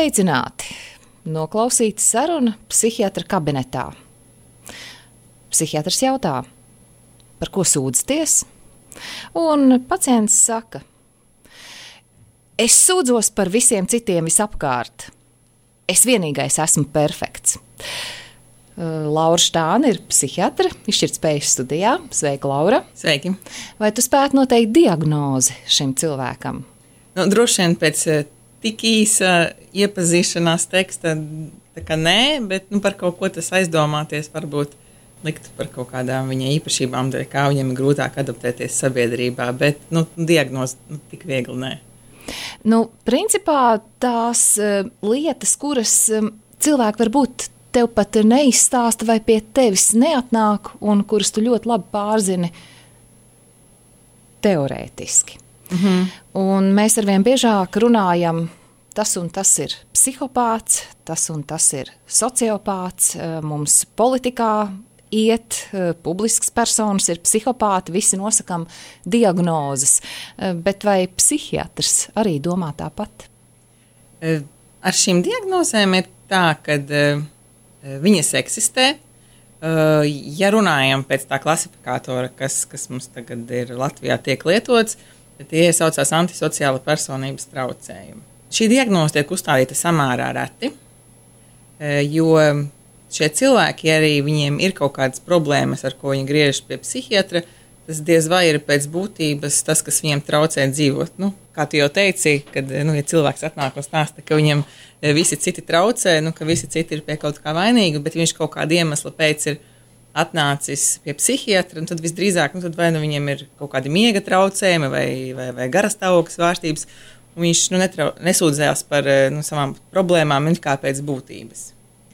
Sveicināti! Noklausīta saruna psihiatra kabinetā. Psihiatrs jautā, par ko sūdzaties? Un pacients saka, es sūdzos par visiem citiem visapkārt. Es vienīgais esmu perfekts. Laura Štāne ir psihiatre, izšķirtspējas studijā. Sveika, Laura! Sveiki! Vai tu spētu noteikt diagnozi šim cilvēkam? Droši vien pēc tik īsa iepazīšanās teksta, tā kā nē, bet par kaut ko tas aizdomāties varbūt likt par kaut kādām viņa īpašībām, kā viņam ir grūtāk adaptēties sabiedrībā, bet diagnozi tik viegli nē. Principā tās lietas, kuras cilvēki varbūt tev pat neizstāsta vai pie tevis neatnāk un kuras tu ļoti labi pārzini teorētiski. Un mēs arvien biežāk runājam, tas un tas ir psihopāts, tas un tas ir sociopāts, mums politikā iet, publisks personas ir psihopāti, visi nosakam diagnozes, bet vai psihiatrs arī domā tāpat? Ar šīm diagnozēm ir tā, ka viņas eksistē. Ja runājam pēc tā klasifikātora, kas mums tagad ir Latvijā tiek lietots, tie saucās antisociāla personības traucējumi. Šī diagnoze tiek uzstādīta samērā reti, jo šie cilvēki, arī viņiem ir kaut kādas problēmas, ar ko viņi griežas pie psihiatra, tas diez vai ir pēc būtības tas, kas viņiem traucē dzīvot. Kā tu jau teici, kad ja cilvēks atnāk un stāsta, ka viņam visi citi traucē, ka visi citi ir pie kaut kā vainīgi, bet viņš kaut kāda iemesla pēc ir atnācis pie psihiatra, un tad visdrīzāk tad vai viņiem ir kaut kādi miega traucējumi vai garastāvokļa svārstības, un viņš nesūdzējās par savām problēmām kā pēc būtības.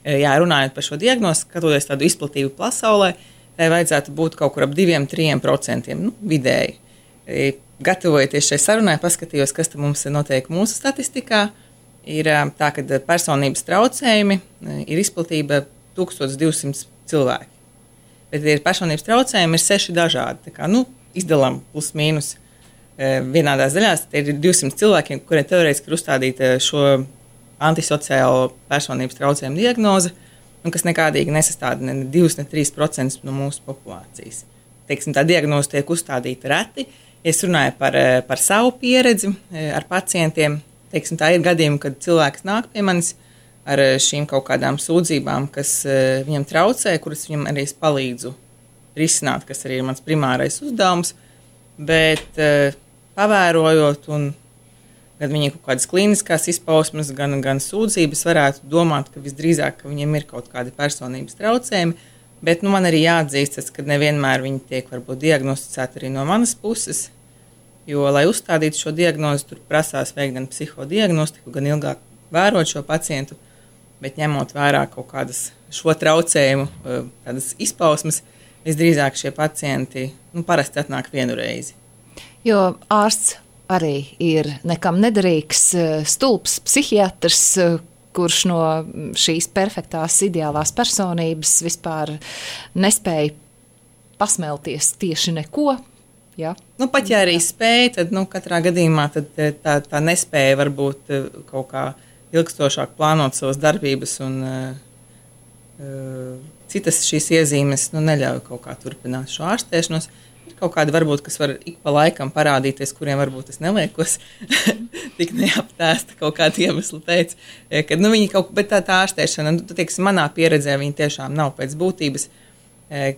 Jā, runājot par šo diagnozi, skatoties tādu izplatību pasaulē, tai vajadzētu būt kaut kur ap 2–3% vidēji. Gatavojoties šai sarunai, paskatījos, kas mums notiek mūsu statistikā. Ir tā, ka personības traucējumi ir izplatība 1200 cilvēki. Bet ir personības traucējumi ir 6 dažādi. Tā kā, izdalām plus mīnus vienādās daļās. Tie ir 200 cilvēkiem, kuriem teorētiski ir uzstādīta šo antisociālo personības traucējumu diagnoze, kas nekādīgi nesastāda ne 2, ne 3% no mūsu populācijas. Tā diagnoze tiek uzstādīta reti. Es runāju par savu pieredzi ar pacientiem. Tā ir gadījumi, kad cilvēks nāk pie manis ar šīm kaut kādām sūdzībām, kas viņam traucē, kuras viņam arī es palīdzu risināt, kas arī ir mans primārais uzdevums. Bet pavērojot un gan viņiem kaut kādas klīniskās izpausmes, gan sūdzības, varētu domāt, ka visdrīzāk ka viņiem ir kaut kādi personības traucējumi, bet man arī jāatzīstas, ka nevienmēr viņi tiek varbūt diagnosticēti arī no manas puses, jo, lai uzstādītu šo diagnozi, tur prasās veikt gan psihodiagnostiku, gan ilgāk vērot šo pacientu, bet ņemot vērā kaut kādas šo traucējumu tādas izpausmes, visdrīzāk šie pacienti parasti atnāk vienu reizi. Jo ārsts arī ir nekam nederīgs stulbs psihiatrs, kurš no šīs perfektās ideālās personības vispār nespēja pasmelties tieši neko. Ja? Pat ja arī spēja, tad katrā gadījumā tad tā nespēja varbūt kaut kā ilgstošāk plānot savas darbības un citas šīs iezīmes neļauj kaut kā turpināt šo ārstēšanos. Ir kaut kādi varbūt, kas var ik pa laikam parādīties, kuriem varbūt es neliekos tik neaptēsta kaut kādu iemeslu pēc, kad viņi bet tā ārstēšana, manā pieredzē viņi tiešām nav pēc būtības.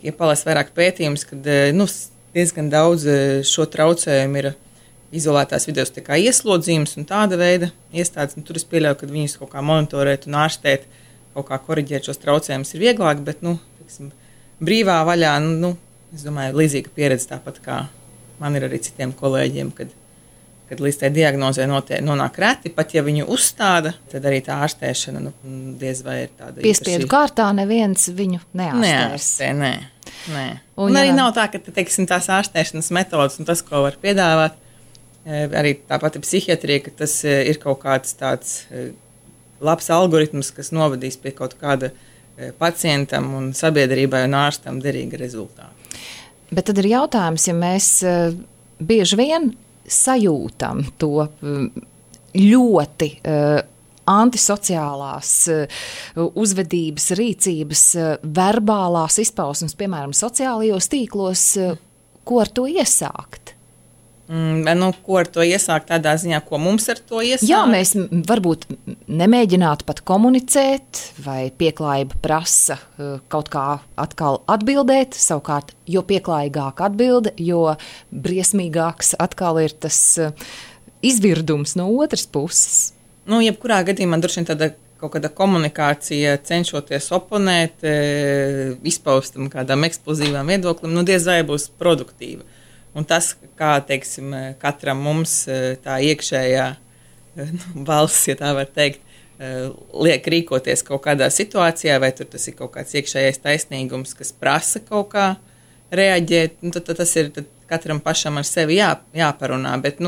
Ja palas vairāk pētījums, kad diezgan daudz šo traucējumu ir izolētās vidus tā kā ieslodzījums un tāda veida iestādes, tur es pieļauju, ka viņus kaut kā monitorēt un ārstēt, kaut kā koriģēt šos traucējumus ir vieglāk, bet, brīvā vaļā, es domāju, līdzīga pieredze tāpat kā man ir arī citiem kolēģiem, kad līdz tai diagnozē nonāk reti, pat ja viņu uzstāda, tad arī tā ārstēšana diez vai ir tāda piespiedu kārtā neviens viņu neārstēs. Nē. Un arī nav tā, ka tās ārstēšanas metodas un tas, ko var piedāvāt, arī tā pati psihiatrija, ka tas ir kaut kāds tāds labs algoritms, kas novadīs pie kaut kāda pacientam un sabiedrībai un ārstam derīga rezultāta. Bet tad ir jautājums, ja mēs bieži vien sajūtam to ļoti antisociālās uzvedības, rīcības, verbālās izpausmes, piemēram, sociālajos tīklos, ko ar to iesākt? Ko ar to iesākt tādā ziņā, ko mums ar to iesākt? Jā, mēs varbūt nemēģinātu pat komunicēt, vai pieklājība prasa kaut kā atkal atbildēt, savukārt, jo pieklājīgāk atbilde, jo briesmīgāks atkal ir tas izvirdums no otras puses. Jebkurā gadījumā droši vien tāda kaut kāda komunikācija, cenšoties oponēt, izpaustam kādām eksplozīvām viedoklim, diez vai būs produktīva. Un tas, kā, teiksim, katram mums tā iekšējā balss, ja tā var teikt, liek rīkoties kaut kādā situācijā, vai tur tas ir kaut kāds iekšējais taisnīgums, kas prasa kaut kā reaģēt, tad tas ir tad katram pašam ar sevi jāparunā. Bet,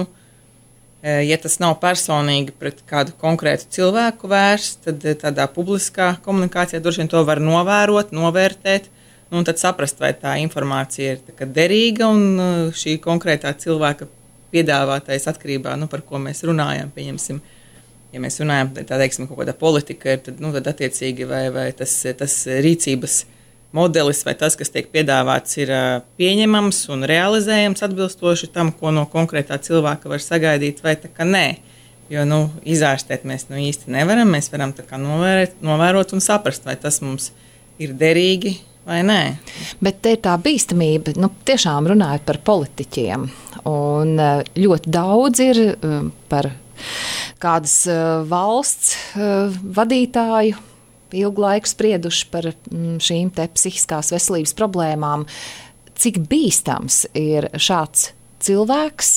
ja tas nav personīgi pret kādu konkrētu cilvēku vērsts, tad tādā publiskā komunikācijā droši vien to var novērot, novērtēt, un tad saprast, vai tā informācija ir derīga un šī konkrētā cilvēka piedāvātais atkarībā, par ko mēs runājam, pieņemsim. Ja mēs runājam, teiksim, kaut kāda politika ir, tad attiecīgi vai tas rīcības modelis vai tas, kas tiek piedāvāts, ir pieņemams un realizējams atbilstoši tam, ko no konkrētā cilvēka var sagaidīt, vai tā kā nē. Jo, izārstēt mēs īsti nevaram, mēs varam tā kā novērot un saprast, vai tas mums ir derīgi, vai nē? Bet te ir tā bīstamība, tiešām runājot par politiķiem. Un ļoti daudz ir par kādas valsts vadītāju ilgu laiku sprieduši par šīm te psihiskās veselības problēmām. Cik bīstams ir šāds cilvēks,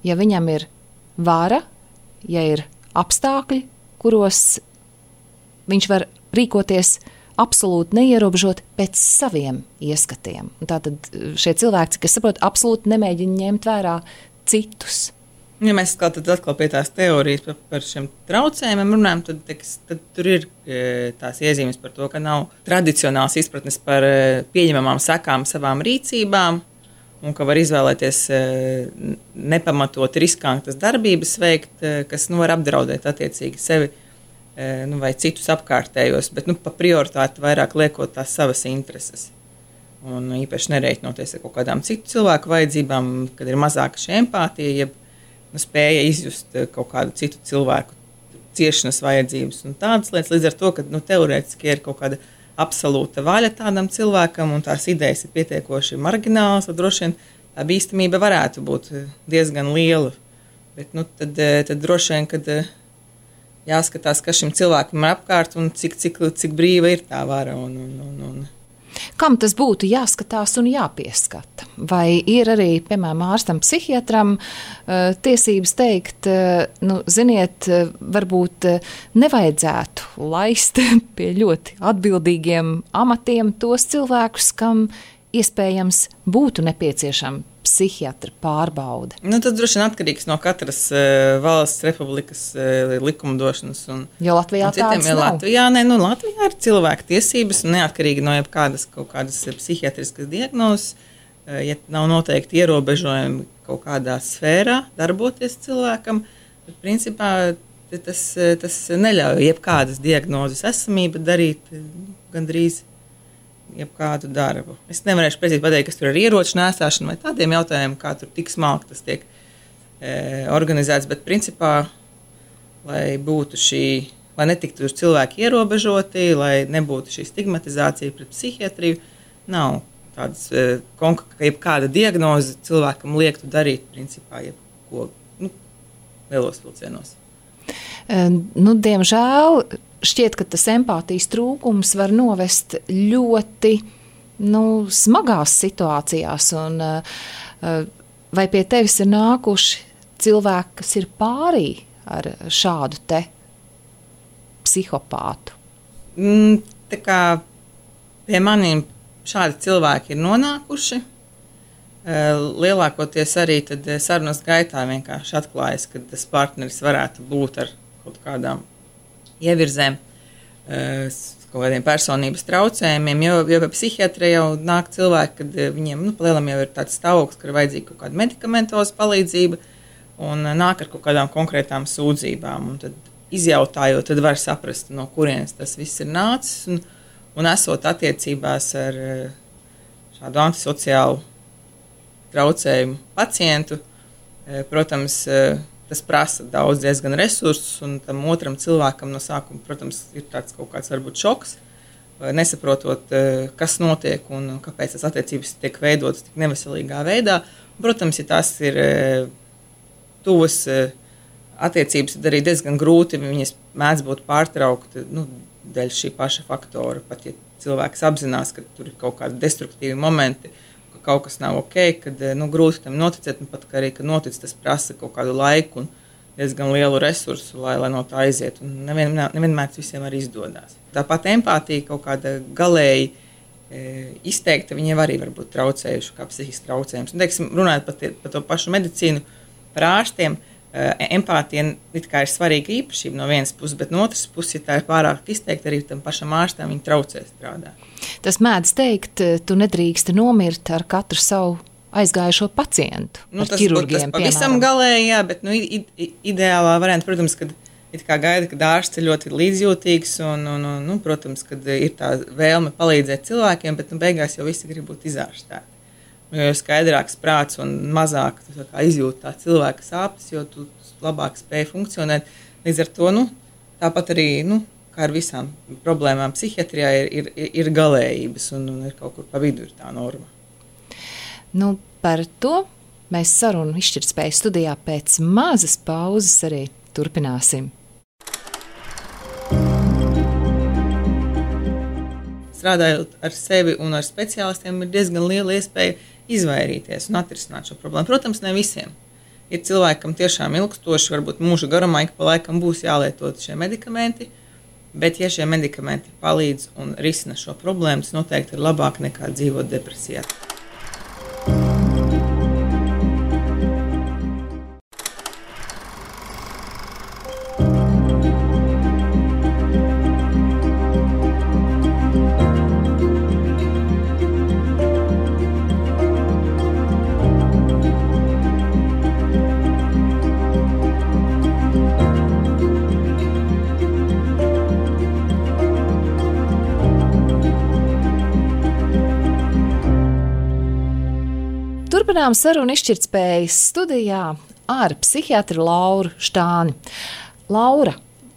ja viņam ir vara, ja ir apstākļi, kuros viņš var rīkoties absolūti neierobežot pēc saviem ieskatiem. Un tātad šie cilvēki, kas saprot, absolūti nemēģina ņemt vērā citus. Ja mēs atkal pie tās teorijas par šiem traucējumiem runājam, tad tur ir tās iezīmes par to, ka nav tradicionāls izpratnes par pieņemamām sekām savām rīcībām un ka var izvēlēties nepamatot riskantas darbības veikt, kas var apdraudēt attiecīgi sevi vai citus apkārtējos, bet pa prioritāti vairāk liekot tās savas intereses. Un īpaši nereiķinoties ar kaut kādām citu cilvēku vajadzībām, kad ir mazāka šī empātija, ja spēja izjust kaut kādu citu cilvēku ciešanas vajadzības un tādas lietas. Līdz ar to, ka teorētiski ir kaut kāda absolūta vaļa tādam cilvēkam un tās idejas ir pietiekoši marginālas, tad droši vien tā bīstamība varētu būt diezgan liela. Bet tad droši vien, kad jāskatās, kas šim cilvēkam ir apkārt un cik brīva ir tā vara. Kam tas būtu jāskatās un jāpieskata? Vai ir arī, piemēram, ārstam, psihiatram tiesības teikt, ziniet, varbūt nevajadzētu laist pie ļoti atbildīgiem amatiem tos cilvēkus, kam iespējams būtu nepieciešama psihiatra pārbaude? Tas droši vien atkarīgs no katras valsts republikas likumdošanas. Jo Latvijā tādas nav. Latvijā ir cilvēku tiesības un neatkarīgi no jebkādas kaut kādas psihiatriskas diagnozes, ja nav noteikti ierobežojumi kaut kādā sfērā darboties cilvēkam, tad principā tas neļauj jebkādas diagnozes esamība darīt gandrīz jebkādu darbu. Es nevarēšu precīzi pateikt, kas tur ir ieroču nēsāšana vai tādiem jautājumiem, kā tur tik smalki tas tiek organizēts, bet principā, lai netiktu cilvēki ierobežoti, lai nebūtu šī stigmatizācija pret psihiatriju, nav tādas, jebkāda diagnoze cilvēkam liektu darīt, principā, jebko, lielos vilcienos. Diemžēl šķiet, ka tas empātijas trūkums var novest ļoti smagās situācijās. Un, vai pie tevis ir nākuši cilvēki, kas ir pārī ar šādu te psihopātu? Tā kā pie maniem šādi cilvēki ir nonākuši. Lielākoties arī tad sarunas gaitā vienkārši atklājas, ka tas partneris varētu būt ar kaut kādām ievirzēm, kaut kādiem personības traucējumiem, jo pie psihiatra jau nāk cilvēki, kad viņiem palielam jau ir tāds stāvoklis, ka ir vajadzīga kaut kāda medikamentoza palīdzība un nāk ar kaut kādām konkrētām sūdzībām. Un tad izjautājot, tad var saprast, no kurienes tas viss ir nācis, un esot attiecībās ar šādu antisociālu traucējumu pacientu, protams, tas prasa diezgan resursus, un tam otram cilvēkam no sākuma, protams, ir tāds kaut kāds varbūt šoks, nesaprotot, kas notiek un kāpēc tas attiecības tiek veidotas tik neveselīgā veidā. Protams, ja tās ir tuvas attiecības, tad arī diezgan grūti viņas mēdz būt pārtraukti dēļ šī paša faktora. Pat ja cilvēks apzinās, ka tur ir kaut kādi destruktīvi momenti, ka kaut kas nav ok, kad grūti tam noticēt, un pat arī, kad notic, tas prasa kaut kādu laiku un diezgan lielu resursu, lai no tā aiziet. Un nevienmēr tas visiem arī izdodas. Tāpat empātija kaut kāda galēji izteikta, viņiem arī var būt traucējuši, kā psihiski traucējums. Un, teiksim, runājot par to pašu medicīnu, par ārstiem, empātija it kā ir svarīga īpašība no vienas puses, bet no otras puses, ja tā ir pārāk izteikta, arī tam pašam ārstam viņi traucē strādāt. Tas mēdz teikt, tu nedrīksti nomirt ar katru savu aizgājušo pacientu. Tas pavisam galēji, jā, bet ideālā varianta, protams, kad it kā gaida, kad ārsts ir ļoti līdzjūtīgs un protams, kad ir tā vēlme palīdzēt cilvēkiem, bet beigās jau visi grib būt izārstēti. Jo skaidrāks prāts un mazāk izjūt tā cilvēka sāpes, jo tu labāk spēj funkcionēt. Līdz ar to, tāpat arī, kā ar visām problēmām psihiatrijā ir galējības un ir kaut kur pa vidu ir tā norma. Par to mēs sarunu izšķirtspējas studijā pēc mazas pauzes arī turpināsim. Strādājot ar sevi un ar speciālistiem, ir diezgan liela iespēja izvairīties un atrisināt šo problēmu. Protams, ne visiem. Ir cilvēkam tiešām ilgstoši, varbūt mūža garumā, ik pa laikam būs jālietot šie medikamenti, bet ja šie medikamenti palīdz un risina šo problēmu, tas noteikti ir labāk nekā dzīvot depresijā. Turpinām sarunu izšķirtspējas studijā ar psihiatru Lauru Štāni. Laura,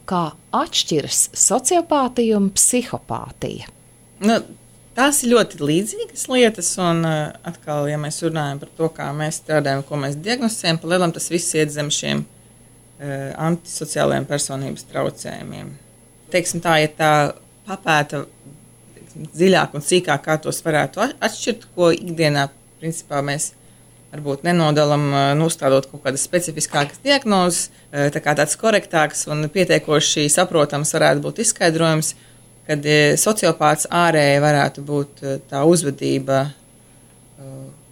kā atšķiras sociopātija un psihopātija? Tās ir ļoti līdzīgas lietas, un atkal, ja mēs runājam par to, kā mēs strādājam, ko mēs diagnosticējam, pa lielam tas viss iet zem šiem antisociālajiem personības traucējumiem. Teiksim tā, ja tā papēta dziļāk un sīkāk, kā tos varētu atšķirt, ko ikdienā principā mēs varbūt nenodalam, nostādot kaut kādas specifiskākas diagnozes, tā kā tāds korektāks un pietiekoši saprotams varētu būt izskaidrojums, kad sociopāts ārēji varētu būt tā uzvedība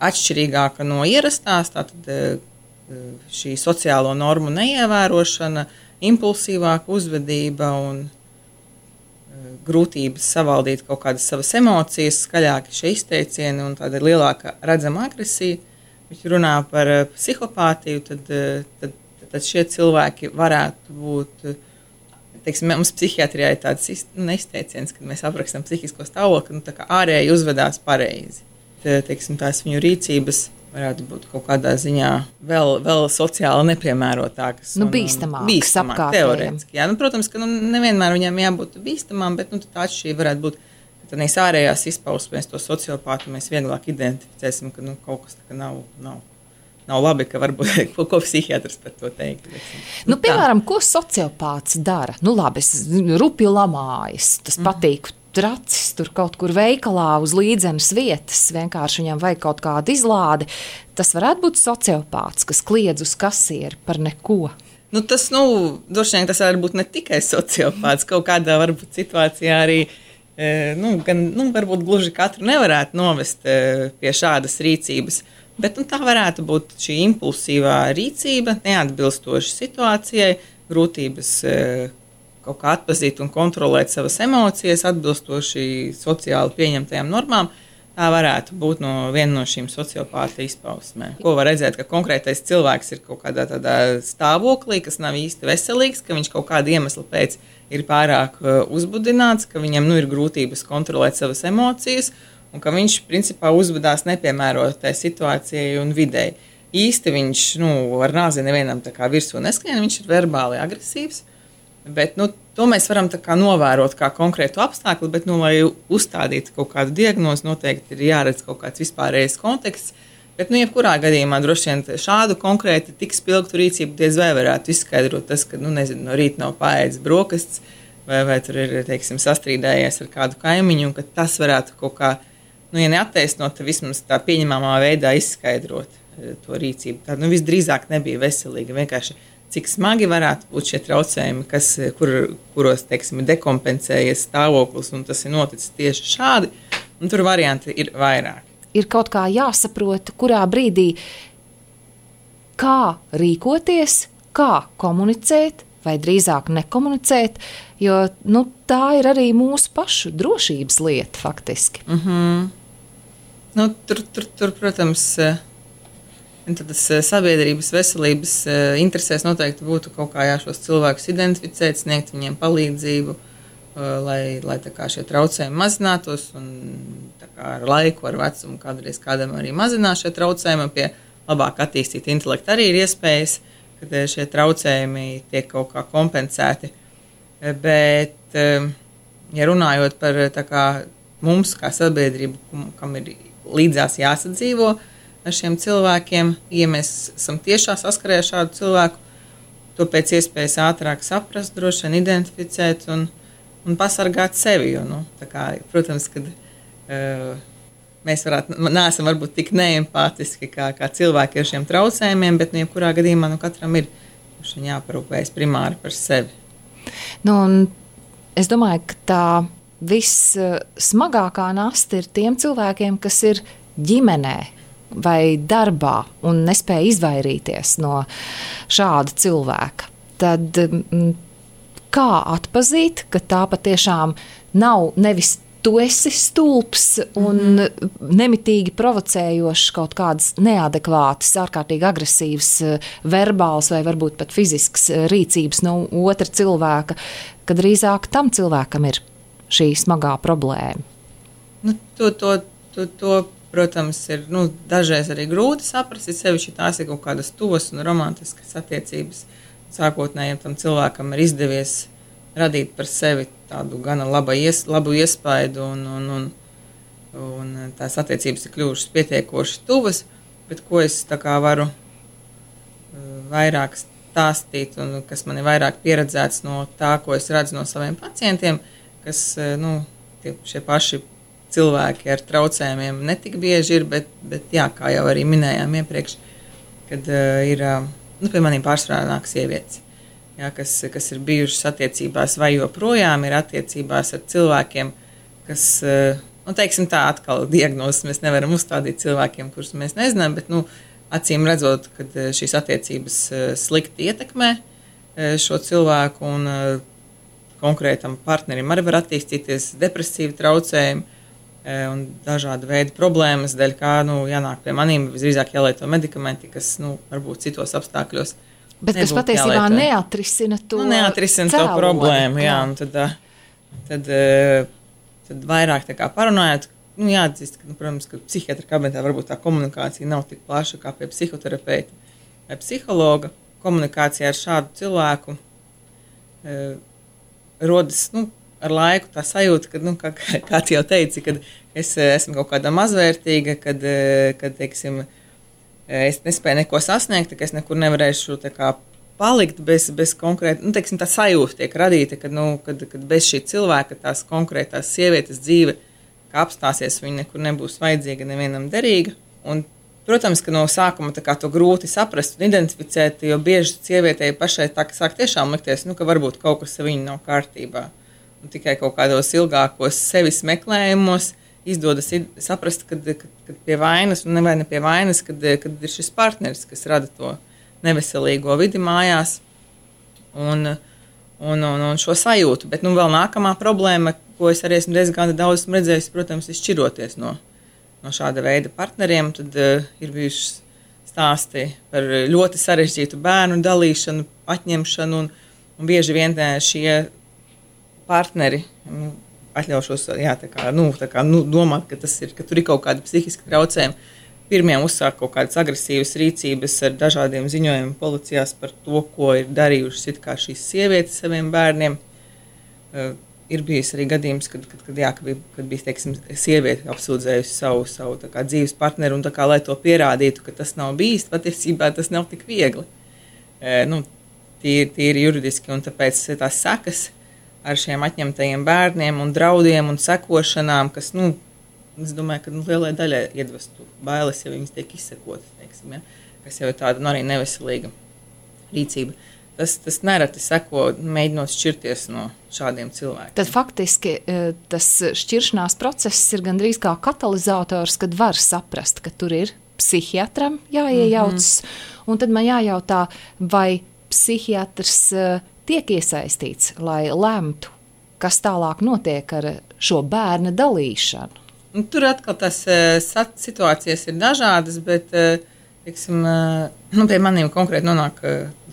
atšķirīgāka no ierastās, tātad šī sociālo normu neievērošana, impulsīvāka uzvedība un grūtības savaldīt kaut kādas savas emocijas, skaļāki šie izteicieni un tāda lielāka redzama agresija. Viņš runā par psihopātiju, tad šie cilvēki varētu būt, teiksim, mums psihiatrijā ir tāds izteiciens, kad mēs aprakstam psihisko stāvokli, tā kā ārēji uzvedās pareizi. Teiksim, tās viņu rīcības varētu būt kaut kādā ziņā vēl sociāli nepiemērotākas. Bīstamākas apkārtējiem. Teorētiski, jā. Protams, ka nevienmēr viņām jābūt bīstamām, bet tā atšķirība varētu būt, ka tādās ārējās izpausmēs to sociopātu mēs vieglāk identificēsim, ka kaut kas tā nav labi, ka varbūt ko psihiatrs par to teikt. Piemēram, ko sociopāts dara? Labi, es rupju lamājas, tas patīk. Tracis tur kaut kur veikalā uz līdzenas vietas, vienkārši viņam vajag kaut kādu izlādi. Tas varētu būt sociopāts, kas kliedz uz kasieri par neko. Droši vien tas var būt ne tikai sociopāts, kaut kādā varbūt situācijā arī, varbūt gluži katru nevarētu novest pie šādas rīcības, bet tā varētu būt šī impulsīvā rīcība, neatbilstoša situācijai, grūtības kaut kā atpazīt un kontrolēt savas emocijas, atbilstoši sociāli pieņemtajām normām, tā varētu būt viena no šīm sociopāta izpausmēm. Ko var redzēt, ka konkrētais cilvēks ir kaut kādā tādā stāvoklī, kas nav īsti veselīgs, ka viņš kaut kāda iemesla pēc ir pārāk uzbudināts, ka viņam ir grūtības kontrolēt savas emocijas un ka viņš principā uzvedās nepiemērotai situācijai un videi. Īsti viņš ar nāzi nevienam tā kā virsū neskrien, viņš ir verbāli agresīvs, bet to mēs varam tā kā novērot kā konkrētu apstākli, bet, lai uzstādītu kaut kādu diagnozi, noteikti ir jāredz kaut kāds vispārējais konteksts, bet, jebkurā gadījumā droši vien šādu konkrēti tik spilgtu rīcību diez vai varētu izskaidrot tas, ka, nezinu, no rīta nav paēdis brokastis, vai tur ir, teiksim, sastrīdējies ar kādu kaimiņu, un ka tas varētu kaut kā, ja neattaisnot, tad vismaz tā pieņemamā veidā izskaidrot to rīcību. Tā, visdrīzāk nebija veselīga, vienkārši cik smagi varētu būt šie traucējumi, kuros, teiksim, dekompensējies stāvoklis, un tas ir noticis tieši šādi, un tur varianti ir vairāk. Ir kaut kā jāsaprot, kurā brīdī kā rīkoties, kā komunicēt, vai drīzāk nekomunicēt, jo tā ir arī mūsu pašu drošības lieta faktiski. Tur, protams, tas sabiedrības veselības interesēs noteikti būtu kaut kā šos cilvēkus identificēt, sniegt viņiem palīdzību, lai tā kā šie traucējumi mazinātos, un tā kā ar laiku, ar vecumu kādreiz kādam arī mazinās šie traucējumi, pie labāk attīstīt intelektu arī ir iespējas, kad šie traucējumi tiek kaut kā kompensēti. Bet, ja runājot par tā kā mums, kā sabiedrību, kam ir līdzās jāsadzīvo ar šiem cilvēkiem, ja mēs esam tiešā saskarē ar šādu cilvēku, to pēc iespējas ātrāk saprast, droši vien identificēt un pasargāt sevi. Jo, tā kā, protams, kad mēs neesam varbūt tik neempātiski kā cilvēki ar šiem traucējumiem, bet jebkurā gadījumā katram ir jāparūpējas primāri par sevi. Un es domāju, ka tā vissmagākā nasta ir tiem cilvēkiem, kas ir ģimenē vai darbā un nespēja izvairīties no šāda cilvēka. Tad kā atpazīt, ka tā patiešām nav nevis tu esi stulbs un nemitīgi provocējošs kaut kādas neadekvātas, ārkārtīgi agresīvas, verbāls vai varbūt pat fizisks rīcības no otra cilvēka, ka drīzāk tam cilvēkam ir šī smagā problēma. To, protams, ir dažreiz arī grūti saprast, sevišķi tās ir kaut kādas tuvas un romantiskas attiecības. Sākotnējiem tam cilvēkam ir izdevies radīt par sevi tādu gana labu iespaidu un tās attiecības ir kļuvušas pietiekoši tuvas, bet ko es tā kā varu vairāk stāstīt un kas man ir vairāk pieredzēts no tā, ko es redzu no saviem pacientiem, kas, šie paši cilvēki ar traucējumiem netik bieži ir, bet jā, kā jau arī minējām iepriekš, kad ir, pie maniem pārsvarā nāk sievietes, jā, kas ir bijušas attiecībās vai joprojām ir attiecībās ar cilvēkiem, kas, teiksim tā, atkal diagnozes mēs nevaram uzstādīt cilvēkiem, kurus mēs nezinām, bet, acīm redzot, kad šīs attiecības slikti ietekmē šo cilvēku un konkrētam partnerim arī var attīstīties depresīvi traucējumi un dažādi veidi problēmas, dēļ kā, jānāk pie manīm, visdrīzāk jālieto medikamenti, kas, varbūt citos apstākļos bet kas patiesībā neatrisina to to problēmu, jā, un tad vairāk tā kā parunājot, jāatzīst, ka, protams, ka psihiatra kabinetā varbūt tā komunikācija nav tik plaša kā pie psihoterapeita vai psihologa. Komunikācija ar šādu cilvēku rodas, ar laiku tā sajūta, ka, kā tu jau teici, kad es esmu kaut kāda mazvērtīga, kad teiksim, es nespēju neko sasniegt, ka es nekur nevarēšu tā kā palikt bez konkrēta, teiksim, tā sajūta tiek radīta, kad bez šī cilvēka tās konkrētās sievietes dzīve, kā apstāsies, viņa nekur nebūs vajadzīga, nevienam derīga. Un, protams, ka no sākuma tā kā to grūti saprast un identificēt, jo bieži sievietei pašai tā, ka sāk tiešām likties, ka varbūt kaut kas ar viņu nav kārtībā. Un tikai kaut kādos ilgākos sevis meklējumos izdodas saprast, kad pie vainas, un ne pie vainas, kad ir šis partneris, kas rada to neveselīgo vidi mājās un šo sajūtu. Bet vēl nākamā problēma, ko es arī esmu diezgan daudz redzējis, protams, ir šķiroties no no šāda veida partneriem, tad ir bijuši stāsti par ļoti sarežģītu bērnu dalīšanu, atņemšanu, un bieži vien šie partneri atļaušos domāt, ka tur ir kaut kāda psihiska traucējuma. Pirmie uzsāk kaut kādas agresīvas rīcības ar dažādiem ziņojumiem policijās par to, ko ir darījušas it kā šīs sievietes saviem bērniem. Ir bijis arī gadījums, kad bija teiksim, sieviete apsūdzējusi savu dzīves partneri, un lai to pierādītu, ka tas nav bijis, patiesībā tas nav tik viegli. Tīri juridiski, un tāpēc tās sekas ar šiem atņemtajiem bērniem un draudiem un sekošanām, kas, es domāju, ka lielai daļai iedvestu bailes, ja viņas tiek izsekotas, teiksim, ja, kas jau ir tāda arī neveselīga rīcība. Tas nereti seko, mēģinot šķirties no šādiem cilvēkiem. Tad faktiski tas šķiršanās process ir gandrīz kā katalizators, kad var saprast, ka tur ir psihiatram jāiejaucas, un tad man jājautā, vai psihiatrs tiek iesaistīts, lai lemtu, kas tālāk notiek ar šo bērna dalīšanu. Tur atkal tās situācijas ir dažādas, bet teiksim, pie maniem konkrēti nonāk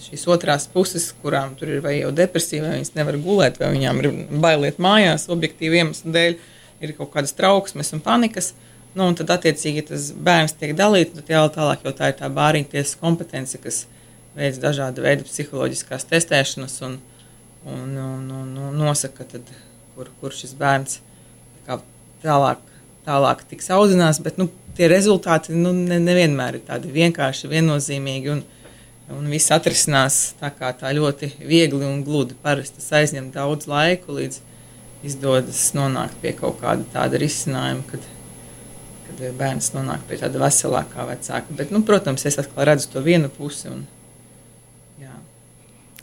šīs otrās puses, kurām tur ir vai jau depresija, vai viņas nevar gulēt, vai viņām ir bailiet mājās, objektīvi iemeslu dēļ, ir kaut kādas trauksmes un panikas. Un tad, attiecīgi, ja tas bērns tiek dalīts, tad tālāk jau tā ir tā bāriņu tiesas kompetence, kas veids dažāda veida psiholoģiskās testēšanas un nosaka, tad, kur šis bērns tālāk tiks audzinās, bet tie rezultāti nevienmēr ir tādi vienkārši, viennozīmīgi un viss atrisinās tā ļoti viegli un gludi. Parasti tas aizņem daudz laiku, līdz izdodas nonākt pie kaut kāda tāda risinājuma, kad bērns nonāk pie tāda veselākā vecāka. Bet, protams, es atkal redzu to vienu pusi.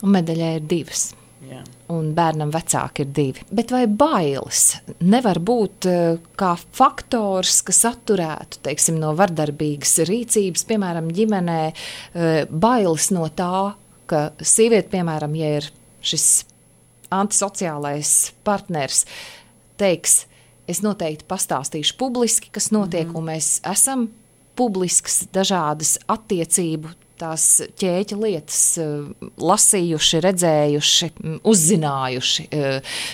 Un medaļai ir divas. Jā. Un bērnam vecāki ir divi. Bet vai bailes nevar būt kā faktors, kas atturētu, teiksim, no vardarbīgas rīcības, piemēram, ģimenē, bailes no tā, ka sieviete, piemēram, ja ir šis antisociālais partners, teiks, es noteikti pastāstīšu publiski, kas notiek, un mēs esam publiskas dažādas attiecību tās ķēķa lietas lasījuši, redzējuši, uzzinājuši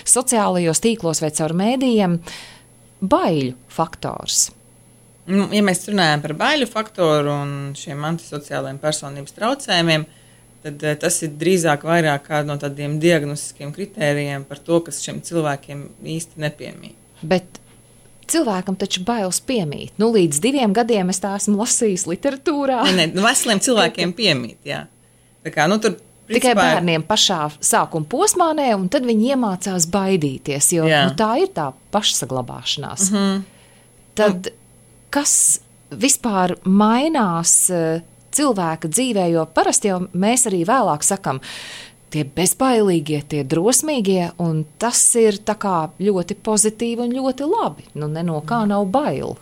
sociālajos tīklos vai caur mēdījiem. Baiļu faktors. Ja mēs runājam par baiļu faktoru un šiem antisociālajiem personības traucējumiem, tad tas ir drīzāk vairāk kāda no tādiem diagnostiskiem kritērijiem par to, kas šiem cilvēkiem īsti nepiemīt. Bet cilvēkam taču bailes piemīt. Līdz 2 gadiem es tā esmu lasījis literatūrā. Veseliem cilvēkiem piemīt, jā. Tā kā, tur principā tikai bērniem pašā sākuma posmā, un tad viņi iemācās baidīties, jo tā ir tā pašsaglabāšanās. Tad kas vispār mainās cilvēka dzīvē, jo parasti jau mēs arī vēlāk sakam, tie bezbailīgie, tie drosmīgie, un tas ir tā kā ļoti pozitīvi un ļoti labi. Ne no kā nav bailu.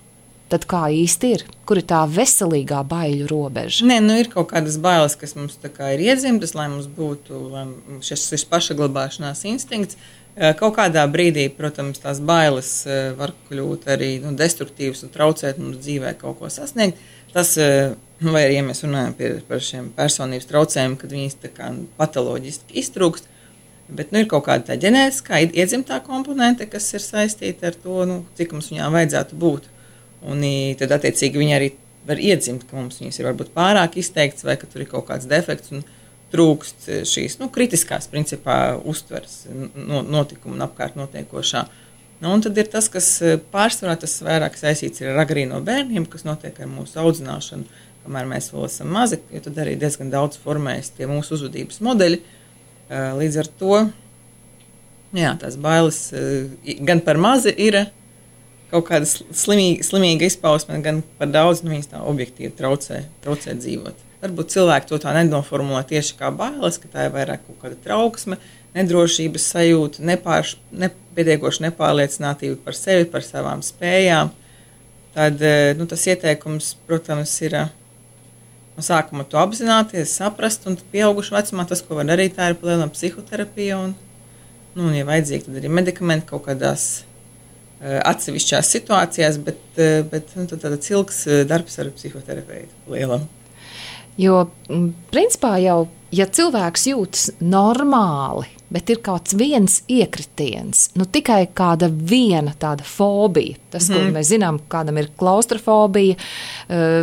Tad kā īsti ir? Kur ir tā veselīgā baiļu robeža? Ir kaut kādas bailes, kas mums tā kā ir iedzimtas, lai mums būtu šis pašaglabāšanās instinkts. Kaut kādā brīdī, protams, tās bailes var kļūt arī destruktīvas un traucēt mums dzīvē kaut ko sasniegt. Tas, vai arī, ja mēs runājam par šiem personības traucējumiem, kad viņas tā kā patoloģiski iztrūkst, bet ir kaut kāda tā ģenētiskā iedzimtā komponente, kas ir saistīta ar to, cik mums viņām vajadzētu būt. Un tad, attiecīgi, viņi arī var iedzimt, ka mums viņas ir varbūt pārāk izteikts, vai ka tur ir kaut kāds defekts un trūkst šīs kritiskās, principā, uztveres notikumu un apkārt notiekošā. Un tad ir tas, kas pārsvarā tas vairāk saistīts ar agrīno bērniem, kas notiek ar mūsu audzināšanu, kamēr mēs vēl esam mazi, jo tad arī diezgan daudz formējas tie mūsu uzvedības modeļi. Līdz ar to, tās bailes gan par mazi ir kaut kāda slimīga izpausme, gan par daudz, viņas tā objektīvi traucē dzīvot. Varbūt cilvēki to tā nenoformulē tieši kā bailes, ka tā ir vairāk kaut kāda trauksme, nedrošības sajūta, nepietiekoša nepārliecinātība par sevi, par savām spējām. Tad tas ieteikums, protams, ir no sākuma to apzināties, saprast, un pieaugušu vecumā tas, ko var darīt, tā ir palielināt psihoterapija, un ja vajadzīgi, tad arī medikamenti kaut kādās atsevišķās situācijās, bet tāds ilgs darbs ar psihoterapeitu lielam. Jo, principā jau, ja cilvēks jūtas normāli, bet ir kāds viens iekritiens, tikai kāda viena tāda fobija, tas, ko mēs zinām, kādam ir klaustrofobija,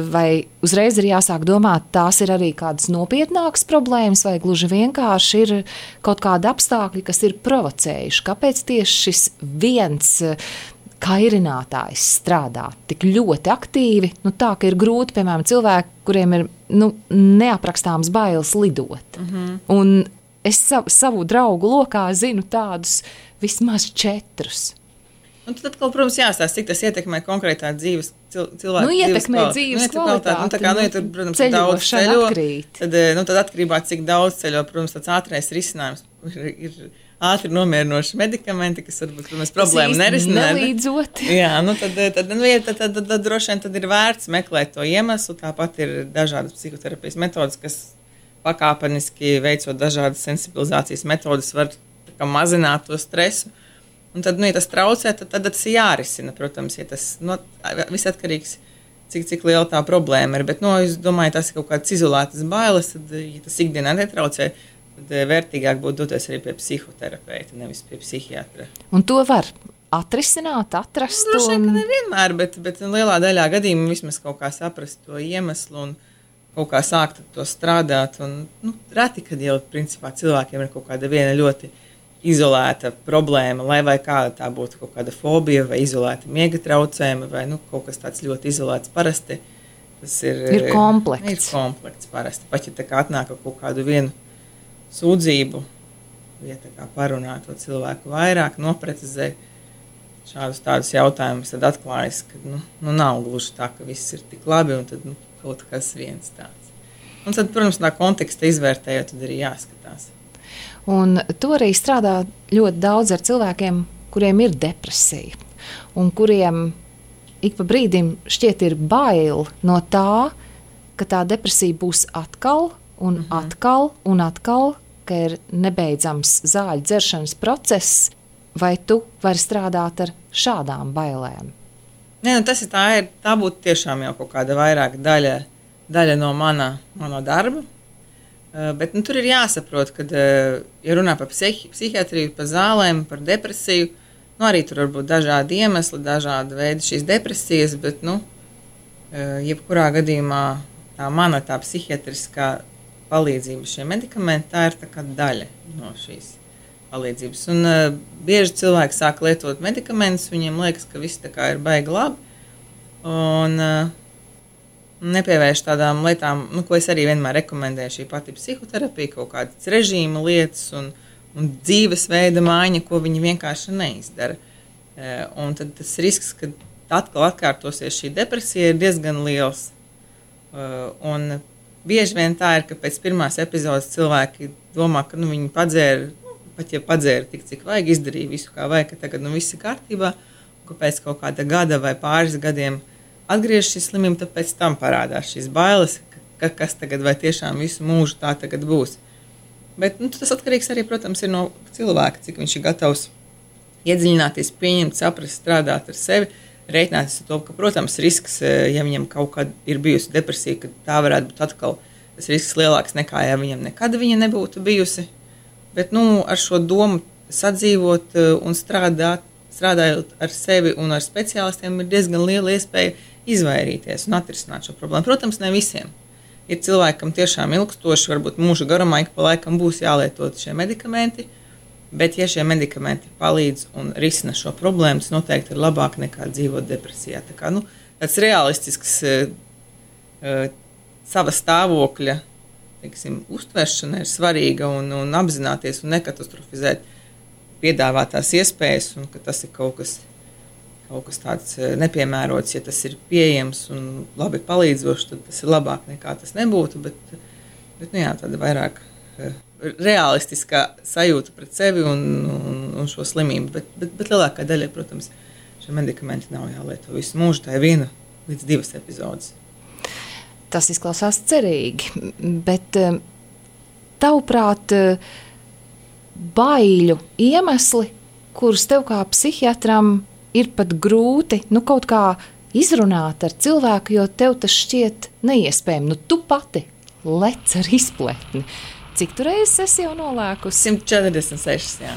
vai uzreiz ir jāsāk domāt, tās ir arī kādas nopietnākas problēmas, vai gluži vienkārši ir kaut kādi apstākļi, kas ir provocējuši. Kāpēc tieši šis viens kairinātājs strādā tik ļoti aktīvi, tā, ka ir grūti, piemēram, cilvēki, kuriem ir neaprakstāms bailes lidot. Un es savu draugu lokā zinu tādus vismaz 4. Un tad atkal, protams, jāstāsta, cik tas ietekmē konkrētā dzīves cilvēku ietekmē dzīves kvalitāti. Tā kā, ja tur, protams, daudz ceļo, tad atkarībā, cik daudz ceļo, protams, tāds ātrais risinājums ir ātri nomierinoši medikamenti, kas varbūt, protams, problēmu nerisina. Nelīdzot. Jā, tad droši vien tad ir vērts meklēt to iemeslu. Tāpat ir dažādas psihoterapijas metodas, kas pakāpeniski veicot dažādas sensibilizācijas metodas var mazināt to stresu. Un tad, ja tas traucē, tad tas ir jārisina, protams, ja tas viss atkarīgs, cik liela tā problēma ir. Bet, es domāju, tas ir kaut kāds izolētas bailes, tad, ja tas ikdienā netraucē, tad vērtīgāk būtu doties arī pie psihoterapeita, nevis pie psihiatra. Un to var atrisināt, atrast? Droši vien, ka nevienmēr, bet lielā daļā gadījumā vismaz kaut kā saprast to iemeslu un kaut kā sākt to strādāt. Un, reti, kad jau principā cilvēkiem ir kaut kāda viena ļoti izolēta problēma, lai vai kāda tā būtu kaut kāda fobija vai izolēta miega traucējuma vai kaut kas tāds ļoti izolēts parasti. Tas ir komplekts. Ir komplekts parasti. Pat ja tā kā atnāk kaut kādu vienu sūdzību, ja tā kā parunā to cilvēku vairāk, noprecizē šādus tādus jautājumus, tad atklājas, ka nav gluži tā, ka viss ir tik labi un tad kaut kas viens tāds. Un tad, protams, tā konteksta izvērtējot, tad arī jāskatās. Un to arī strādā ļoti daudz ar cilvēkiem, kuriem ir depresija un kuriem ik pa brīdim šķiet ir bail no tā, ka tā depresija būs atkal un atkal un atkal, ka ir nebeidzams zāļu dzeršanas process, vai tu vari strādāt ar šādām bailēm? Nē, tā būtu tiešām jau kaut kāda vairāk daļa no mana darba. Bet tur ir jāsaprot, ka, ja runā par psihiatriju, par zālēm, par depresiju, arī tur var būt dažādi iemesli, dažādi veidi šīs depresijas, bet, jebkurā gadījumā tā psihiatriskā palīdzība, šie medikamenti, tā ir tā kā daļa no šīs palīdzības. Un bieži cilvēki sāk lietot medikamentus, viņiem liekas, ka viss tā kā ir baigi labi, un nepievērš tādām lietām, ko es arī vienmēr rekomendēju, šī pati psihoterapija, kaut kādas režīma lietas un dzīvesveida maiņa, ko viņi vienkārši neizdara. Un tad tas risks, ka atkal atkārtosies šī depresija, ir diezgan liels. Un bieži vien tā ir, ka pēc pirmās epizodes cilvēki domā, ka viņi padzēra, pat ja padzēra tik, cik vajag, izdarīja visu, kā vajag, ka tagad viss ir kārtībā, un ka pēc kaut kāda gada vai pāris gadiem atgriežas šī slimība, tad pēc tam parādās šīs bailes, kas tagad vai tiešām visu mūžu tā tagad būs. Bet tas atkarīgs arī, protams, ir no cilvēka, cik viņš ir gatavs iedziļināties, pieņemt, saprast, strādāt ar sevi, rēķināties ar to, ka, protams, risks, ja viņam kaut kad ir bijusi depresija, ka tā varētu būt atkal tas risks lielāks nekā, ja viņam nekad viņa nebūtu bijusi. Bet, ar šo domu sadzīvot un strādājot ar sevi un ar speciālistiem, ir diezgan liela iespēja izvairīties un atrisināt šo problēmu. Protams, ne visiem. Ir cilvēki, kam tiešām ilgstoši, varbūt mūža garumā, ik pa laikam būs jālietot šie medikamenti, bet, ja šie medikamenti palīdz un risina šo problēmu, tas noteikti ir labāk nekā dzīvot depresijā. Tā kā, tāds realistisks sava stāvokļa, uztveršana ir svarīga un apzināties un nekatastrofizēt piedāvātās iespējas, un ka tas ir kaut kas tāds nepiemērots, ja tas ir pieejams un labi palīdzošs, tad tas ir labāk nekā tas nebūtu, bet tāda vairāk realistiskā sajūta pret sevi un šo slimību, bet lielākā daļa, protams, šie medikamenti nav jālieto visu mūžu, tā ir 1 līdz 2 epizodes. Tas izklausās cerīgi, bet tavuprāt, baiļu iemesli, kurus tev kā psihiatram ir pat grūti, kaut kā izrunāt ar cilvēku, jo tev tas šķiet neiespējami. Tu pati lec ar izpletni. Cik tu reizes esi jau nolēkusi? 146, jā.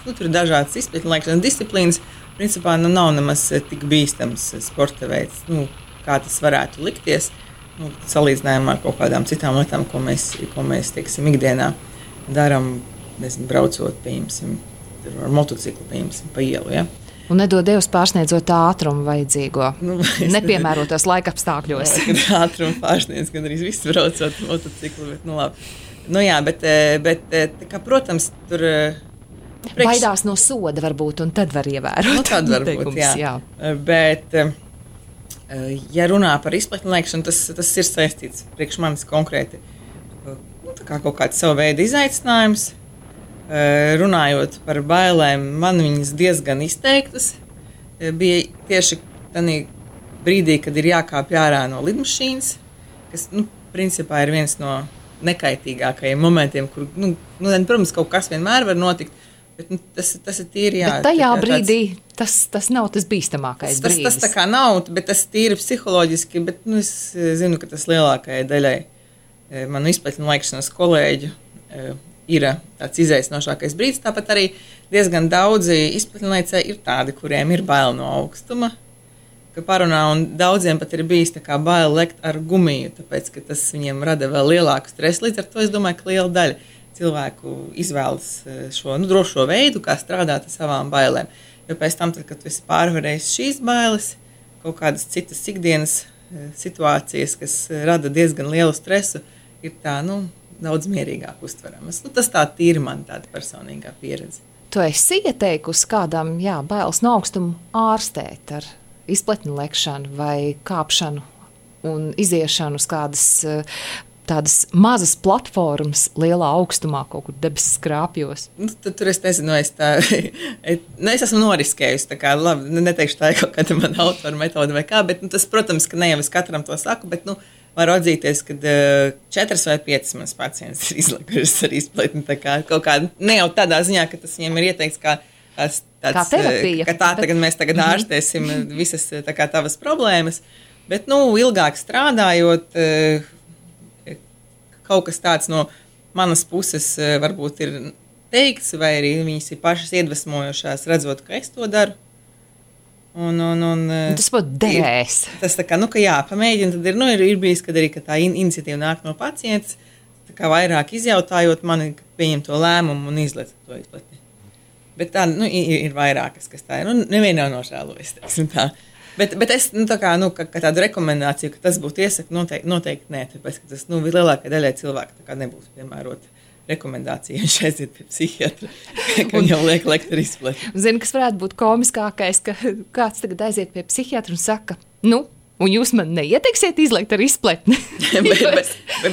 Tur ir dažādas izpletņu lēkšanas disciplīnas. Principā nav nemaz tik bīstams sporta veids, kā tas varētu likties. Salīdzinājumā ar kaut kādām citām lietām, ko mēs teiksim, ikdienā darām, braucot, pieņemsim, ar motociklu, pieņemsim, pa ielu. Ja? Un nedod Dievs pārsniedzot ātrumu vajadzīgo, nepiemērotos laika apstākļos. Kad ātrumu pārsniedz, gan arī viss braucot motociklu, bet labi. Bet kā, protams, tur... Baidās no soda varbūt, un tad var ievērot. Tad varbūt, jā. Bet, ja runā par izpletņu lēkšanu, tas ir saistīts priekš manis konkrēti. Kā kaut kāds savu veidu izaicinājums. Runājot par bailēm, man viņas diezgan izteiktas. Bija tieši tādā brīdī, kad ir jākāpj ārā no lidmašīnas, kas, principā ir viens no nekaitīgākajiem momentiem, kur, protams, kaut kas vienmēr var notikt, bet tas ir tīri, jā. Bet tajā brīdī tas nav tas bīstamākais brīdis. Tas tā kā nav, bet tas tīri psiholoģiski, bet, es zinu, ka tas lielākajai daļai manu izpletņu lēkšanas kolēģu ir tāds izaicinošākais brīdis. Tāpat arī diezgan daudzi izpletņlēcēji ir tādi, kuriem ir bail no augstuma, ka parunā, un daudziem pat ir bijis tā kā bail lekt ar gumiju, tāpēc, ka tas viņiem rada vēl lielāku stresu. Līdz ar to es domāju, ka liela daļa cilvēku izvēlas šo drošo veidu, kā strādāt ar savām bailēm. Jo pēc tam, kad tu esi pārvarējis šīs bailes, kaut kādas citas ikdienas situācijas, kas rada diezgan lielu stresu, ir tā, daudz mierīgāk uztveramas. Tas tā tīri man tāda personīgā pieredze. Tu esi ieteikusi kādam, bailes no augstuma ārstēt ar izpletņu lekšanu vai kāpšanu un iziešanu uz kādas tādas mazas platformas lielā augstumā, kaut kur debesis skrāpjos? Tur es nezinu, es esmu noriskējusi, tā kā, labi, neteikšu tā ir kaut kāda mana autora metode vai kā, bet tas, protams, ka ne jau es katram to saku, bet, var atzīties, ka 4 vai 5 mans pacients ir izlekušas ar izpletni, tā kā kaut kāda, ne jau tādā ziņā, ka tas viņiem ir ieteikts kā terapija. Ka mēs tagad ārstēsim visas tā kā tavas problēmas, bet, ilgāk strādājot, kaut kas tāds no manas puses varbūt ir teikts, vai arī viņas ir pašas iedvesmojošās, redzot, ka es to daru. Tas būtu derēs. Tas tā kā, ka pamēģina, tad ir bijis, kad arī ka tā iniciatīva nāk no pacients, tā kā vairāk izjautājot mani, pieņem to lēmumu un izlec to izpletni. Bet tā, ir vairākas, kas tā ir. Neviena nav nožēlojusi, teiksim tā. Bet es, tā kā tādu rekomendāciju, ka tas būtu iesaka, noteikti nē, tāpēc, ka tas, lielākai daļai cilvēku tā kā nebūs piemērot rekomendācija, viņš aiziet pie psihiatra, ka jau liek lekt ar izpletni. Zini, kas varētu būt komiskākais, ka kāds tagad aiziet pie psihiatra un saka, un jūs man neieteiksiet izlekt ar izpletni?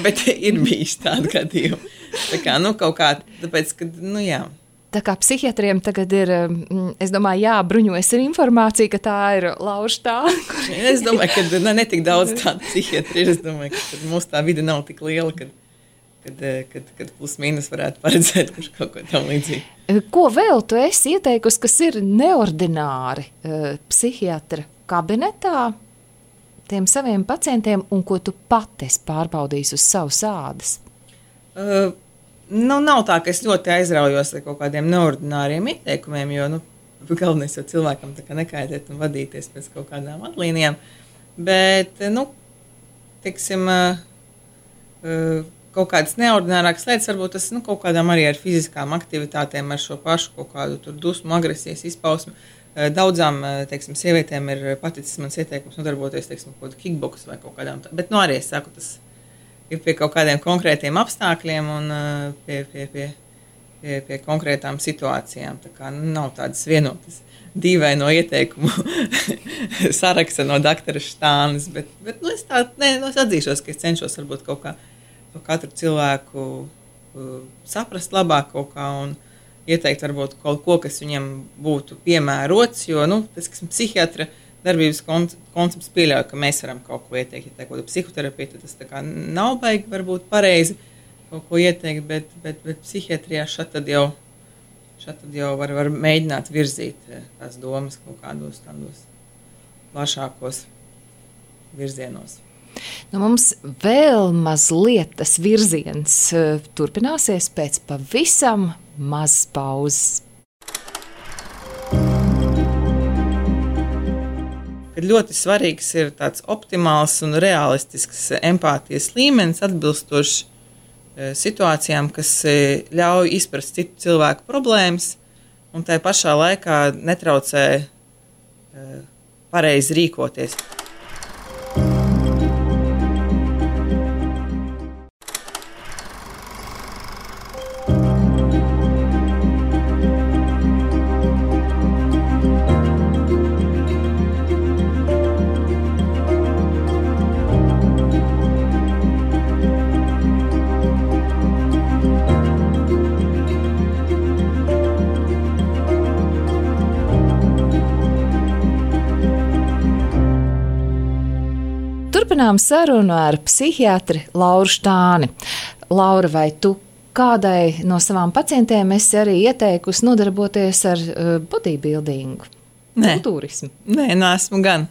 bet ir bijis tādu gadījumu. Tā kā, kaut kā, tāpēc, ka, jā. Tā kā psihiatriem tagad ir, es domāju, jābruņojas ar informāciju, ka tā ir lauž tā. Es domāju, ka ne tik daudz tādu psihiatri ir. Es domāju, ka mūsu tā vide nav tik liela, kad plus mīnus varētu paredzēt kaut ko tam līdzīgi. Ko vēl tu esi ieteikusi, kas ir neordināri psihiatra kabinetā tiem saviem pacientiem, un ko tu pati esi pārbaudījis uz savas ādas? Nav tā, ka es ļoti aizraujos ar kaut kādiem neordināriem ieteikumiem, jo galvenais jau cilvēkam tā kā nekaitēt un vadīties pēc kaut kādām atlīnijām. Bet, teiksim, kaut kādas neordinārākas lietas, varbūt tas kaut kādām arī ar fiziskām aktivitātēm, ar šo pašu kaut kādu tur dusmu, agresijas izpausmu. Daudzām, teiksim, sievietēm ir paticis mans ieteikums nodarboties, teiksim, kaut kādu kickboks vai kaut kādām tā. Bet, arī es saku, tas ir pie kaut kādiem konkrētiem apstākļiem un pie konkrētām situācijām. Tā kā nav tādas vienotas dīvaino ieteikumu saraksta no doktora Štānes, bet es atzīšos, ka es cenšos varbūt kaut kā to katru cilvēku saprast labāk kaut kā un ieteikt varbūt kaut ko, kas viņam būtu piemērots, jo, tas, kas psihiatra darbības koncepts pieļauj, ka mēs varam kaut ko ieteikt, ja tā ir kaut kāda psihoterapija, tad tas tā kā nav baigi varbūt pareizi kaut ko ieteikt, bet psihiatrijā šad tad jau Šādi tad jau var mēģināt virzīt tās domas kaut kādos tādos plašākos virzienos. Nu, mums vēl mazliet tas virziens turpināsies pēc pavisam mazas pauzes. Kad ļoti svarīgs ir tāds optimāls un realistisks empātijas līmenis, atbilstošs situācijām, kas ļauj izprast citu cilvēku problēmas un tai pašā laikā netraucē pareizi rīkoties. Turpinām sarunu ar psihiatri Lauru Štāni. Laura, vai tu kādai no savām pacientēm esi arī ieteikusi nodarboties ar bodybuildingu? Kultūrismu? Nē, neesmu gan.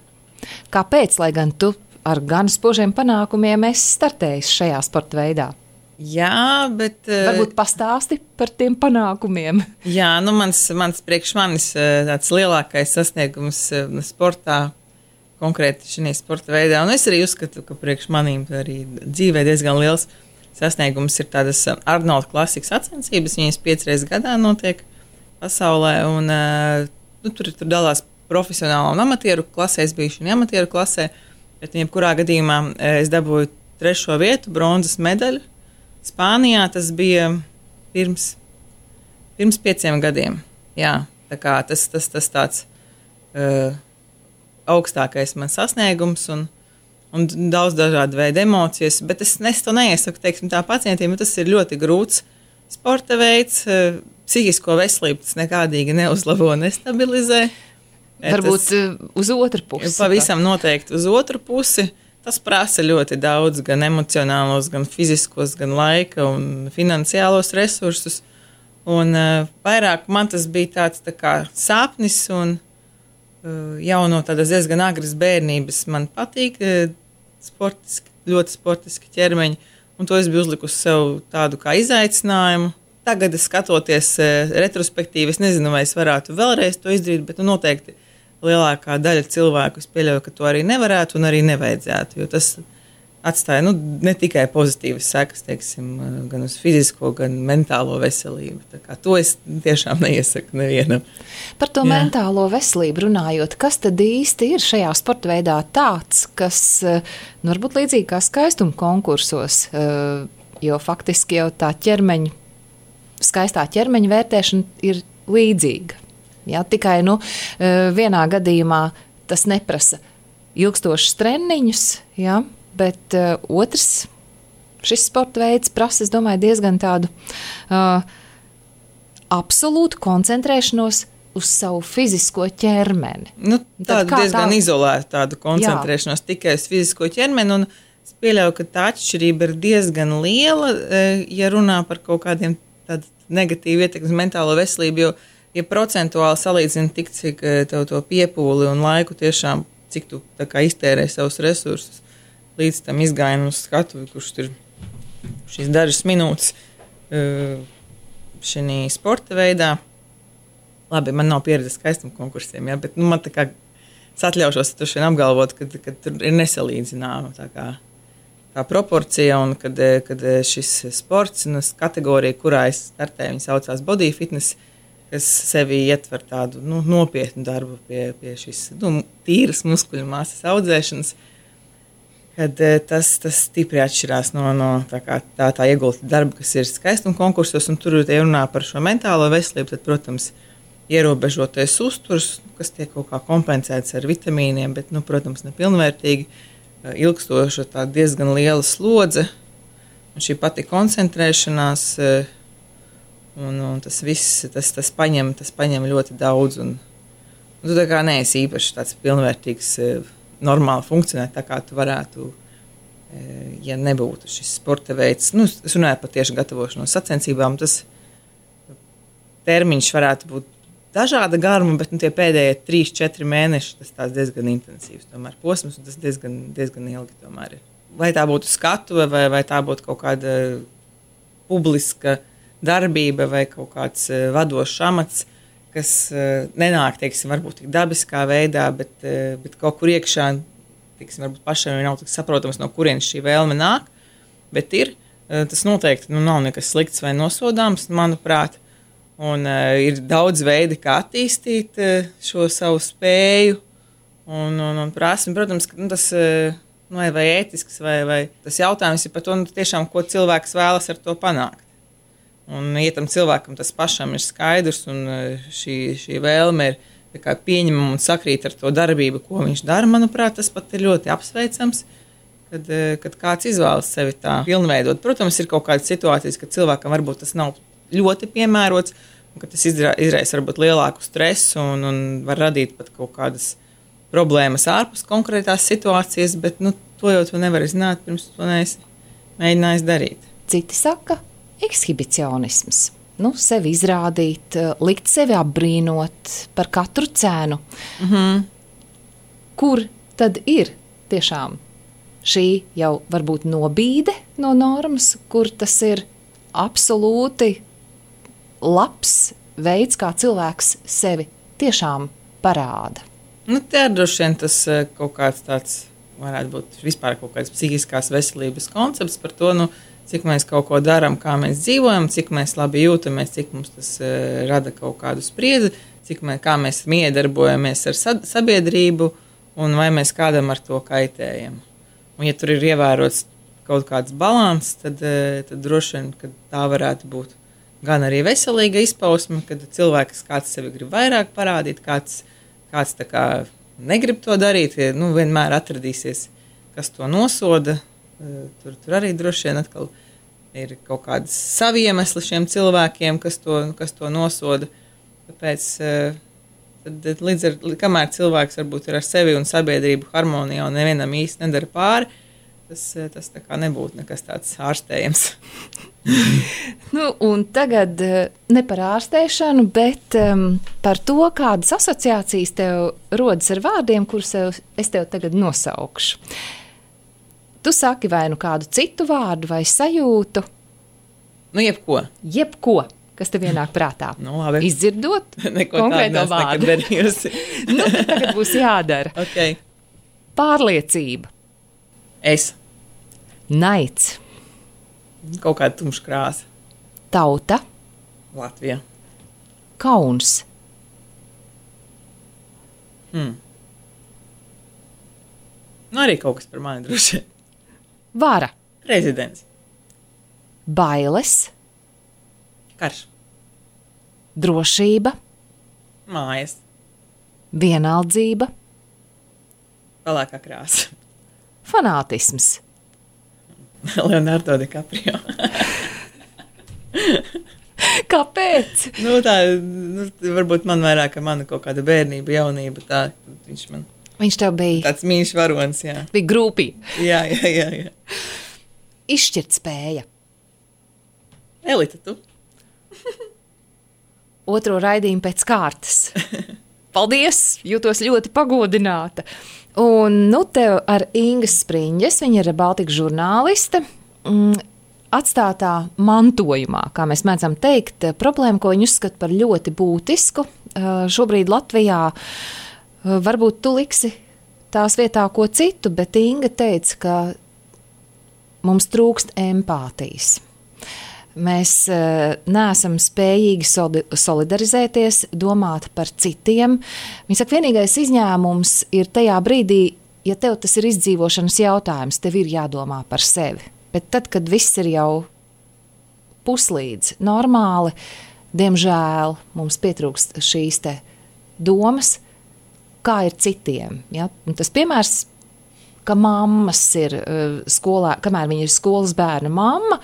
Kāpēc, lai gan tu ar gan spožiem panākumiem esi startējis šajā sporta veidā? Jā, bet... Varbūt pastāsti par tiem panākumiem. Jā, nu mans priekš manis tāds lielākais sasniegums sportā, konkrēti šajā sporta veidā. Un es arī uzskatu, ka priekš manīm arī dzīvē diezgan liels sasniegums ir tādas Arnolda klasikas sacensības. Viņas 5 reizes gadā notiek pasaulē. Un, tur dalās profesionāla un amatieru klasē. Es biju šajā amatieru klasē. Bet jebkurā gadījumā es dabūju 3. vietu, bronzas medaļu. Spānijā tas bija pirms 5 gadiem. Jā, tā kā tas tāds... augstākais man sasniegums un daudz dažādu veidu emocijas, bet es to neiesaku, teiksim, tā pacientiem, jo tas ir ļoti grūts sporta veids, psihisko veselību tas nekādīgi neuzlabo, nestabilizē. Varbūt uz otru pusi. Pavisam noteikti uz otru pusi. Tas prasa ļoti daudz, gan emocionālos, gan fiziskos, gan laika un finansiālos resursus. Un vairāk man tas bija tāds tā kā sapnis un jau no tādas diezgan agras bērnības man patīk ļoti sportiski ķermeņi, un to es biju uzlikusi sev tādu kā izaicinājumu. Tagad, skatoties retrospektīvi, es nezinu, vai es varētu vēlreiz to izdarīt, bet noteikti lielākā daļa cilvēku es pieļauju, ka to arī nevarētu un arī nevajadzētu, jo tas atstāja ne tikai pozitīvas sekas, teiksim, gan uz fizisko, gan mentālo veselību. Tā kā to es tiešām neiesaku nevienam. Par to mentālo veselību runājot, kas tad īsti ir šajā sporta veidā tāds, kas varbūt līdzīgi kā skaistuma konkursos, jo faktiski jau tā skaistā ķermeņa vērtēšana ir līdzīga. Jā, tikai vienā gadījumā tas neprasa ilgstošus treniņus, jā, bet otrs, šis sporta veids prasa, es domāju, diezgan tādu absolūtu koncentrēšanos uz savu fizisko ķermeni. Tādu diezgan izolētu tādu koncentrēšanos tikai uz fizisko ķermeni, un es pieļauju, ka tā atšķirība ir diezgan liela, ja runā par kaut kādiem tādu negatīvu ietekmi uz mentālo veselību, jo, ja procentuāli salīdzina tik, cik tev to piepūli un laiku tiešām, cik tu tā kā iztērē savus resursus, līdz tam izgājienam uz skatuvi, kurš ir šīs dažas minūtes šī sporta veidā. Labi, man nav pieredzes skaistuma konkursiem, ja, bet man tā kā es atļaušos apgalvot, ka tur ir nesalīdzināma tā proporcija, un kad šis sports, kategorija, kurā es startēju, viņa saucās body fitness, kas sevi ietver tādu nopietnu darbu pie šīs tīras muskuļu masas audzēšanas, kad tas stipri atšķirās no tā iegulta darba, kas ir skaistuma konkursos, un tur runā par šo mentālo veselību, tad, protams, ierobežotais uzturs, kas tiek kaut kā kompensēts ar vitamīniem, bet, protams, nepilnvērtīgi, ilgstoša tā diezgan liela slodze, un šī pati koncentrēšanās, un tas viss, tas paņem ļoti daudz, un tu tā kā neesi īpaši tāds pilnvērtīgs, normāli funkcionēt tā, kā tu varētu, ja nebūtu šis sporta veids. Es runāju par tieši gatavošanos sacensībām, tas termiņš varētu būt dažāda garuma, bet tie pēdējie 3-4 mēneši tas diezgan intensīvs tomēr posms, un tas diezgan ilgi tomēr ir. Vai tā būtu skatuve, vai tā būtu kaut kāda publiska darbība vai kaut kāds vadošs amats, kas nenāk, teiksim, varbūt tik dabiskā veidā, bet kaut kur iekšā, teiksim, varbūt pašiem nav tik saprotams, no kurienes šī vēlme nāk, bet ir. Tas noteikti nav nekas slikts vai nosodāms, manuprāt, un ir daudz veidi, kā attīstīt šo savu spēju un prasmi. Protams, ka tas vai ētisks, vai tas jautājums ir par to, tiešām, ko cilvēks vēlas ar to panākt. Un, ja tam cilvēkam tas pašam ir skaidrs, un šī vēlme ir pieņemama un sakrīt ar to darbību, ko viņš dara, manuprāt, tas pat ir ļoti apsveicams, kad kāds izvēlas sevi tā pilnveidot. Protams, ir kaut kādas situācijas, kad cilvēkam varbūt tas nav ļoti piemērots, un ka tas izraisa varbūt lielāku stresu un var radīt pat kaut kādas problēmas ārpus konkrētās situācijas, bet to jau tu nevari zināt, pirms to neesi mēģinājis darīt. Citi saka, ekshibicionisms. Sevi izrādīt, likt sevi apbrīnot par katru cenu. Kur tad ir tiešām šī jau varbūt nobīde no normas, kur tas ir absolūti labs veids, kā cilvēks sevi tiešām parāda? Te ir droši vien tas kaut kāds tāds, varētu būt vispār kaut kāds psihiskās veselības koncepts par to, cik mēs kaut ko darām, kā mēs dzīvojam, cik mēs labi jūtamies, cik mums tas rada kaut kādu spriedzi, kā mēs miedarbojamies ar sabiedrību un vai mēs kādam ar to kaitējam. Un ja tur ir ievērots kaut kāds balans, tad droši vien, ka tā varētu būt gan arī veselīga izpausme, kad cilvēks kāds sevi grib vairāk parādīt, kāds tā kā negrib to darīt, vienmēr atradīsies, kas to nosoda. Tur arī droši vien atkal ir kaut kādas savi iemesli šiem cilvēkiem, kas to nosoda. Tāpēc, kamēr cilvēks varbūt ir ar sevi un sabiedrību harmonijā un nevienam īsti nedara pāri, tas tā kā nebūtu nekas tāds ārstējams. Un tagad ne par ārstēšanu, bet par to, kādas asociācijas tev rodas ar vārdiem, kurus es tev tagad nosaukšu. Tu saki vai kādu citu vārdu vai sajūtu? Jebko. Jebko, kas tev ienāk prātā. Labi. Izdzirdot konkrēto vārdu. Tagad būs jādara. Okay. Pārliecība. Es. Naids. Kaut kāda tumša krāsa. Tauta. Latvija. Kauns. Arī kaut kas par mani droši. Vara. Prezidents. Bailes. Karš. Drošība. Mājas. Vienaldzība. Pelēkā krāsa. Fanātisms. Leonardo DiCaprio. Kāpēc? Varbūt man vairāk ar manu kaut kāda bērnība, jaunība, tā Viņš tev bija tāds mīļš varonis, jā. Bija grūpī. Jā. Izšķirt spēja. Elita, tu? Otro raidījumu pēc kārtas. Paldies, jūtos ļoti pagodināta. Un tev ar Ingas Spriņģes, viņa ir Baltikas žurnāliste, atstātā mantojumā, kā mēs mēdzam teikt, problēma, ko viņa uzskata par ļoti būtisku. Šobrīd Latvijā varbūt tu liksi tās vietā ko citu, bet Inga teica, ka mums trūkst empātijas. Mēs neesam spējīgi solidarizēties, domāt par citiem. Viņa saka, vienīgais izņēmums ir tajā brīdī, ja tev tas ir izdzīvošanas jautājums, tev ir jādomā par sevi. Bet tad, kad viss ir jau puslīdz normāli, diemžēl mums pietrūkst šīs te domas, kā ir citiem. Ja? Un tas piemērs, ka mammas ir skolā, kamēr viņa ir skolas bērna mamma,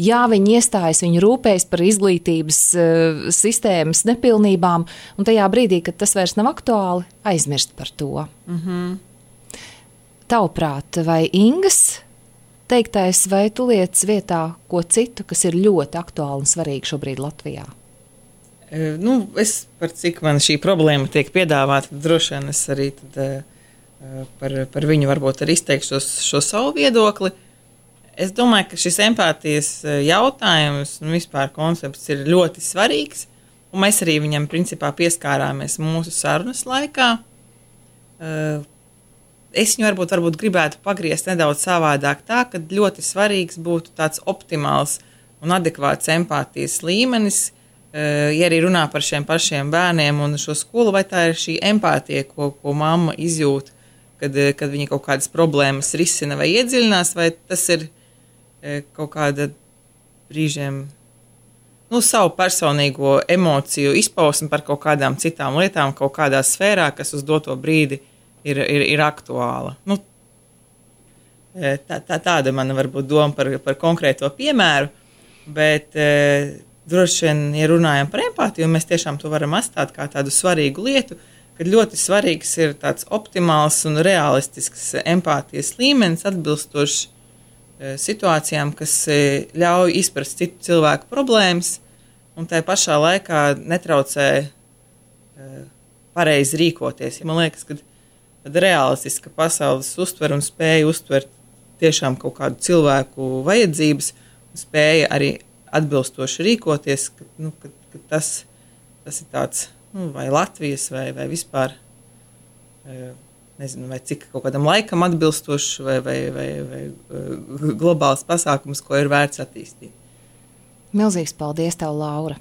jā, viņa iestājas, viņa rūpējas par izglītības sistēmas nepilnībām, un tajā brīdī, kad tas vairs nav aktuāli, aizmirst par to. Tavuprāt, vai Ingas teiktais, vai tu lietas vietā ko citu, kas ir ļoti aktuāli un svarīgi šobrīd Latvijā? Es par cik man šī problēma tiek piedāvāta, droši vien es arī par viņu varbūt arī izteikšu šo savu viedokli. Es domāju, ka šis empātijas jautājums un vispār koncepts ir ļoti svarīgs, un mēs arī viņam principā pieskārāmies mūsu sarunas laikā. Es viņu varbūt gribētu pagriezt nedaudz savādāk tā, ka ļoti svarīgs būtu tāds optimāls un adekvāts empātijas līmenis, ja arī runā par šiem pašiem bērniem un šo skolu, vai tā ir šī empātija, ko mamma izjūt, kad viņa kaut kādas problēmas risina vai iedziļinās, vai tas ir kaut kāda brīžiem savu personīgo emociju izpausmi par kaut kādām citām lietām, kaut kādā sfērā, kas uz doto brīdi ir aktuāla. Tāda mana varbūt doma par konkrēto piemēru, bet droši vien, ja runājam par empātiju, mēs tiešām to varam atstāt kā tādu svarīgu lietu, kad ļoti svarīgs ir tāds optimāls un realistisks empātijas līmenis, atbilstošs situācijām, kas ļauj izprast citu cilvēku problēmas un tai pašā laikā netraucē pareizi rīkoties. Man liekas, ka realistiska pasaules uztver un spēja uztvert tiešām kaut kādu cilvēku vajadzības un spēja arī atbilstoši rīkoties, ka tas ir tāds, vai Latvijas, vai vispār, nezinu, vai cik kaut kādam laikam atbilstošs, vai globāls pasākums, ko ir vērts attīstīt. Milzīgs paldies tev, Laura!